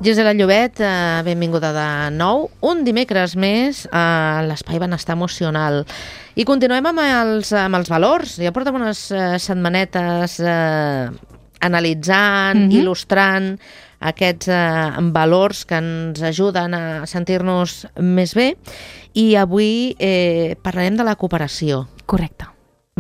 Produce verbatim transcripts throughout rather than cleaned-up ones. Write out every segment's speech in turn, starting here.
Gisela Llobet, eh, benvinguda de nou. Un dimecres més a l'Espai Benestar Emocional. I continuem amb els, amb els valors. Ja portem unes eh, setmanetes eh, analitzant, mm-hmm. il·lustrant aquests eh, valors que ens ajuden a sentir-nos més bé. I avui eh, parlarem de la cooperació. Correcte.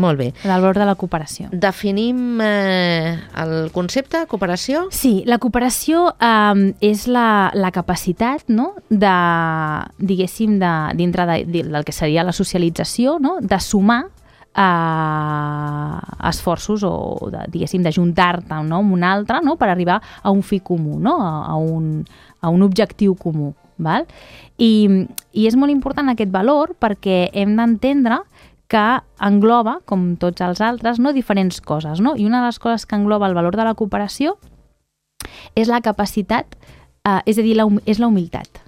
Molt bé. El valor de la cooperació. Definim eh, el concepte, cooperació? Sí, la cooperació eh, és la, la capacitat, no?, de, diguéssim, de, dintre de, de, del que seria la socialització, no?, de sumar eh, esforços o, de, diguéssim, d'ajuntar-te, no?, amb un altre, no?, per arribar a un fi comú, no?, a, a, un, a un objectiu comú. Val? I, I és molt important aquest valor perquè hem d'entendre que engloba, com tots els altres, no, diferents coses, no? I una de les coses que engloba el valor de la cooperació és la capacitat, eh, és a dir, la, és la humilitat,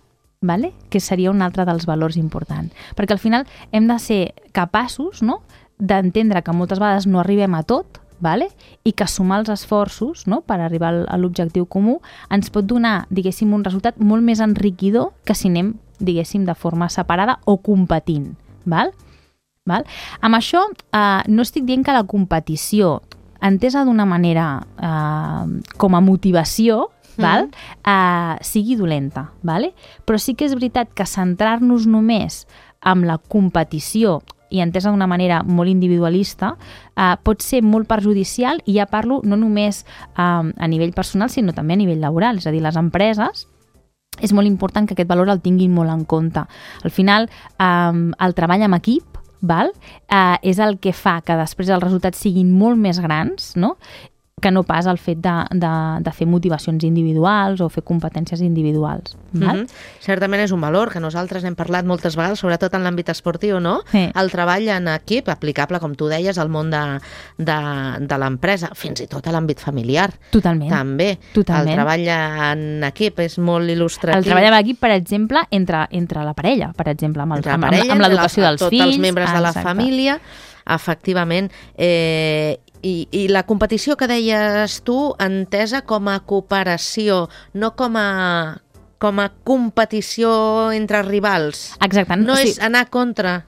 vale? Que seria un altre dels valors importants. Perquè al final hem de ser capaços, no?, d'entendre que moltes vegades no arribem a tot, vale? I que sumar els esforços, no?, per arribar a l'objectiu comú ens pot donar, diguéssim, un resultat molt més enriquidor que si anem, diguéssim, de forma separada o competint. Val? Val? Amb això eh, no estic dient que la competició, entesa d'una manera eh, com a motivació, mm. val? Eh, sigui dolenta, vale? Però sí que és veritat que centrar-nos només en la competició i entesa d'una manera molt individualista eh, pot ser molt perjudicial, i ja parlo no només eh, a nivell personal sinó també a nivell laboral, és a dir, les empreses és molt important que aquest valor el tinguin molt en compte. Al final eh, el treball en equip, val? Eh, és el que fa que després els resultats siguin molt més grans, no?, que no pas el fet de, de, de fer motivacions individuals o fer competències individuals. Val? Mm-hmm. Certament és un valor que nosaltres hem parlat moltes vegades, sobretot en l'àmbit esportiu, no? Sí. El treball en equip, aplicable, com tu deies, al món de, de, de l'empresa, fins i tot a l'àmbit familiar. Totalment. També. Totalment. El treball en equip és molt il·lustratiu. El treball en equip, per exemple, entre, entre la parella, per exemple, amb, el, amb, amb, amb l'educació dels tots fills. Tots els membres ah, de la exacte. família, efectivament. Eh, I, I la competició que deies tu, entesa com a cooperació, no com a, com a competició entre rivals. Exacte. No sí. és anar contra,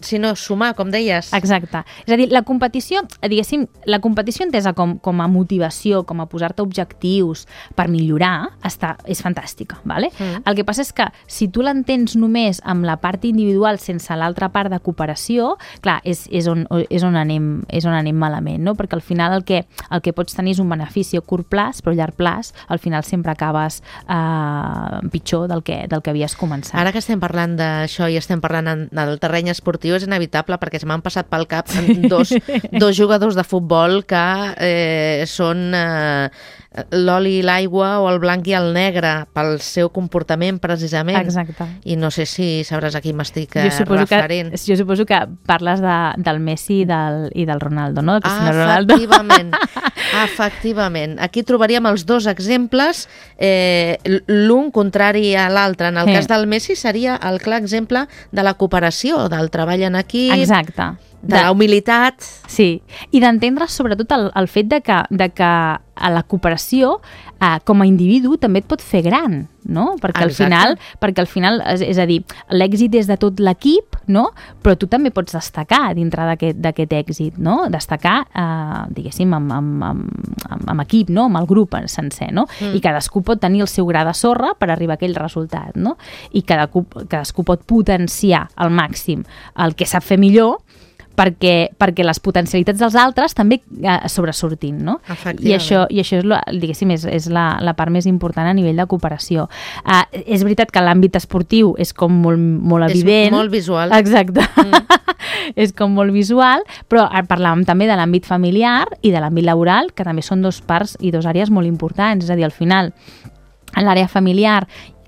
sinó sumar, com deies. Exacte. És a dir, la competició, diguéssim, la competició entesa com, com a motivació, com a posar-te objectius per millorar, està, és fantàstica, vale? Mm. El que passa és que si tu l'entens només amb la part individual sense l'altra part de cooperació, clar, és, és, on, és, on anem, és on anem malament, no? Perquè al final el que, el que pots tenir és un benefici a curt plaç, però a llarg plaç al final sempre acabes eh, pitjor del que, del que havies començat. Ara que estem parlant d'això i estem parlant en, del terreny esportiu, és inevitable perquè se m'han passat pel cap dos, dos jugadors de futbol que eh, són eh, l'oli i l'aigua o el blanc i el negre pel seu comportament precisament. Exacte. I no sé si sabràs a qui m'estic eh, referint. Que, jo suposo que parles de, del Messi i del, i del Ronaldo, no? Del Cristiano Ronaldo. Efectivament. Efectivament. Aquí trobaríem els dos exemples, eh, l'un contrari a l'altre. En el sí. cas del Messi seria el clar exemple de la cooperació, del treball en equip, exacte. de, de la humilitat. Sí, i d'entendre sobretot el, el fet de que, de que a la cooperació eh, com a individu també et pot fer gran, no? Perquè al exacte. final, perquè al final és, és a dir, l'èxit és de tot l'equip, no? Però tu també pots destacar dintre d'aquest èxit, no? Destacar, eh, diguéssim, amb, amb, amb, amb equip, no? Amb el grup sencer, no? Mm. I cadascú pot tenir el seu gra de sorra per arribar a aquell resultat, no? I cadascú, cadascú pot potenciar al màxim el que sap fer millor perquè, perquè les potencialitats dels altres també eh, sobresortin, no? I això, i això és, lo, diguéssim, és, és la, la part més important a nivell de cooperació. Uh, és veritat que l'àmbit esportiu és com molt, molt evident. És molt visual. Exacte. Mm. És com molt visual, però parlàvem també de l'àmbit familiar i de l'àmbit laboral, que també són dos parts i dos àrees molt importants. És a dir, al final, en l'àrea familiar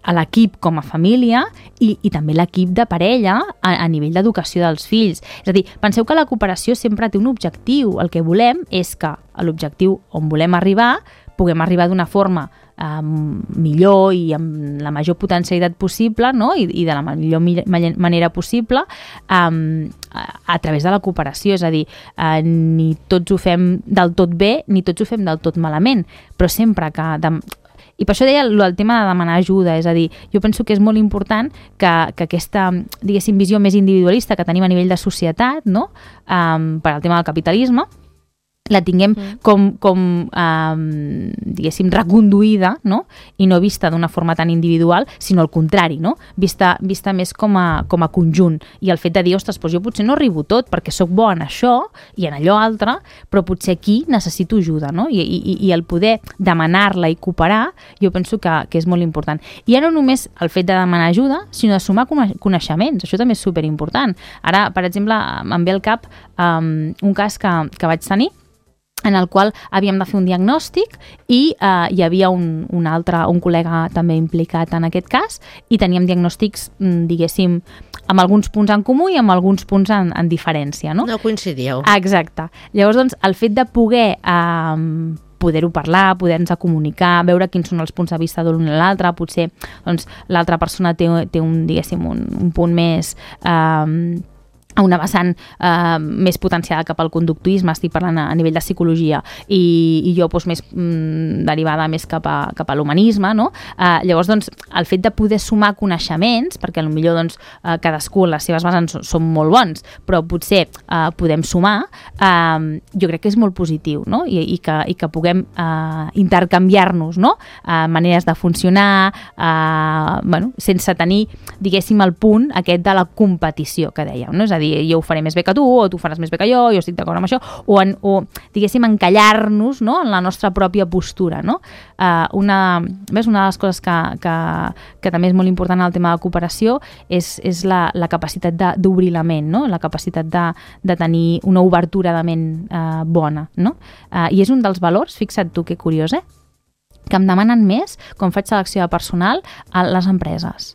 a l'equip com a família i, i també l'equip de parella a, a nivell d'educació dels fills. És a dir, penseu que la cooperació sempre té un objectiu. El que volem és que a l'objectiu on volem arribar puguem arribar d'una forma eh, millor i amb la major potencialitat possible, no? I, i de la millor mi- manera possible eh, a, a través de la cooperació. És a dir, eh, ni tots ho fem del tot bé ni tots ho fem del tot malament, però sempre que... De, I per això deia el tema de demanar ajuda, és a dir, jo penso que és molt important que, que aquesta, diguéssim, visió més individualista que tenim a nivell de societat, no? um, per al tema del capitalisme, la tinguem mm. com, com um, diguéssim, reconduïda, no? I no vista d'una forma tan individual, sinó al contrari, no? Vista, vista més com a, com a conjunt. I el fet de dir, ostres, doncs jo potser no arribo tot perquè sóc bo en això i en allò altre, però potser aquí necessito ajuda, no? I, i, i el poder demanar-la i cooperar, jo penso que, que és molt important. I ja no només el fet de demanar ajuda, sinó de sumar coneixements. Això també és superimportant. Ara, per exemple, em ve al cap um, un cas que, que vaig tenir, en el qual havíem de fer un diagnòstic i eh, hi havia un, un altre, un col·lega també implicat en aquest cas i teníem diagnòstics, diguéssim, amb alguns punts en comú i amb alguns punts en, en diferència, no? No coincidíeu. Exacte. Llavors, doncs, el fet de poder eh, poder-ho parlar, poder-nos comunicar, veure quins són els punts de vista de l'un i l'altre, potser doncs, l'altra persona té, té un, diguéssim, un, un punt més... Eh, a una vessant eh, més potenciada cap al conductuisme, estic parlant a, a nivell de psicologia, i, i jo doncs, més mm, derivada més cap a, cap a l'humanisme, no? Eh, llavors, doncs, el fet de poder sumar coneixements, perquè potser doncs, eh, cadascú les seves bases són, són molt bons, però potser eh, podem sumar, eh, jo crec que és molt positiu, no? I, i, que, i que puguem eh, intercanviar-nos, no? Eh, maneres de funcionar, eh, bueno, sense tenir, diguéssim, el punt aquest de la competició que dèiem, no? És a dir, jo ho faré més bé que tu, o tu faràs més bé que jo, jo estic d'acord amb això, o, en, o diguéssim, encallar-nos, no? En la nostra pròpia postura, no? Uh, una, ves, una de les coses que, que, que també és molt important en el tema de la cooperació és, és la, la capacitat d'obrir la ment, no? La capacitat de, de tenir una obertura de ment uh, bona, no? Uh, I és un dels valors, fixa't tu que curiós, eh? Que em demanen més quan faig selecció de personal a les empreses.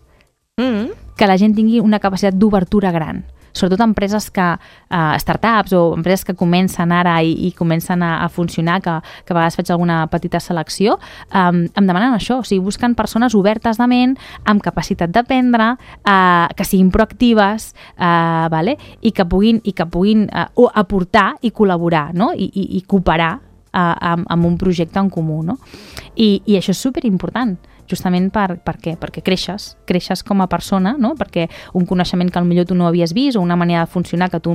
Mm. Que la gent tingui una capacitat d'obertura gran. Sobretot empreses que, uh, startups o empreses que comencen ara i, i comencen a, a funcionar, que, que a vegades faig alguna petita selecció, um, em demanen això, o sigui, busquen persones obertes de ment, amb capacitat d'aprendre, uh, que siguin proactives, uh, vale? I que puguin, i que puguin uh, aportar i col·laborar, no? I, i, i cooperar uh, amb, amb un projecte en comú, no? I, i això és superimportant, justament per, per què? Perquè creixes, creixes com a persona, no? Perquè un coneixement que potser tu no havies vist o una manera de funcionar que tu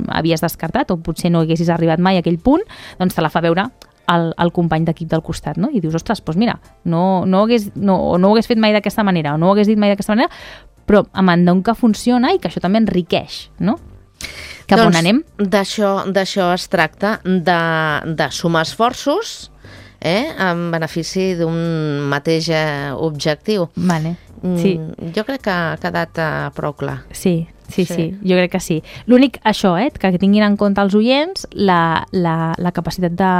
havies descartat o potser no haguessis arribat mai a aquell punt, doncs te la fa veure el, el company d'equip del costat, no? I dius, ostres, doncs mira, no, no, ho hagués, no, no ho hagués fet mai d'aquesta manera o no ho hagués dit mai d'aquesta manera, però em entenc que funciona i que això també enriqueix, no? Cap doncs, on anem? D'això es tracta, de, de sumar esforços, eh, en benefici d'un mateix objectiu. Vale. Sí. Mm, jo crec que ha quedat uh, prou clar. Sí, sí, sí, sí, jo crec que sí. L'únic, això, eh, que tinguin en compte els oients la, la, la capacitat de,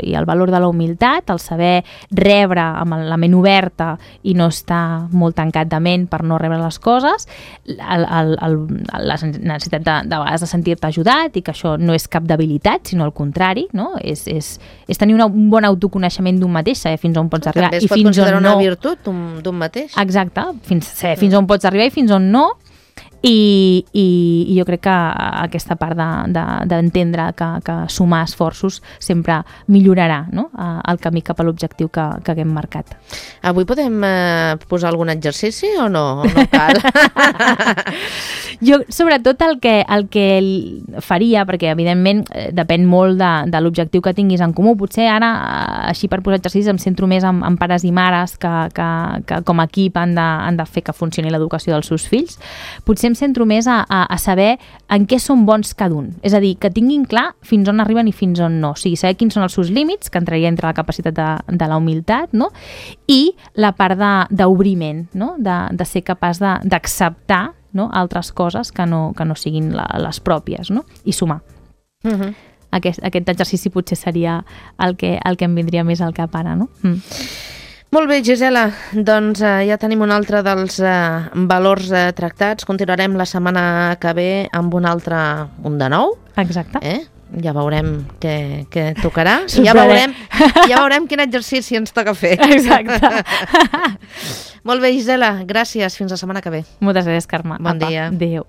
i el valor de la humilitat, el saber rebre amb la ment oberta i no estar molt tancat de ment per no rebre les coses, el, el, el, la necessitat de, de vegades de sentir-te ajudat i que això no és cap debilitat, sinó al contrari, no? És, és, és tenir una, un bon autoconeixement d'un mateix, saber fins on pots arribar també es i pot fins on considerar no. una virtut d'un mateix. Exacte, fins, saber fins on pots arribar i fins on no. I, i, i jo crec que aquesta part d'entendre de, de, que, que sumar esforços sempre millorarà, no? El camí cap a l'objectiu que, que haguem marcat. Avui podem eh, posar algun exercici o no? No cal? Jo, sobretot, el que, el que faria, perquè evidentment depèn molt de, de l'objectiu que tinguis en comú, potser ara, així per posar exercicis, em centro més en, en pares i mares que, que, que com a equip han de, han de fer que funcioni l'educació dels seus fills. Potser em centro més a, a, a saber en què són bons cada un. És a dir, que tinguin clar fins on arriben i fins on no. O sigui, saber quins són els seus límits, que entraria entre la capacitat de, de la humilitat, no? I la part d'obriment, no? De, de ser capaç d'acceptar, no? Altres coses que no, que no siguin la, les pròpies, no? I sumar. Uh-huh. Aquest, aquest exercici potser seria el que, el que em vindria més al cap ara, no? Mm. Molt bé, Gisela, doncs eh, ja tenim un altre dels eh, valors eh, tractats. Continuarem la setmana que ve amb un altre, un de nou. Exacte. Eh? Ja veurem què, què tocarà. I ja veurem, ja veurem quin exercici ens toca fer. Exacte. Molt bé, Gisela, gràcies. Fins la setmana que ve. Moltes gràcies, Carme. Bon Apa. dia. Adéu.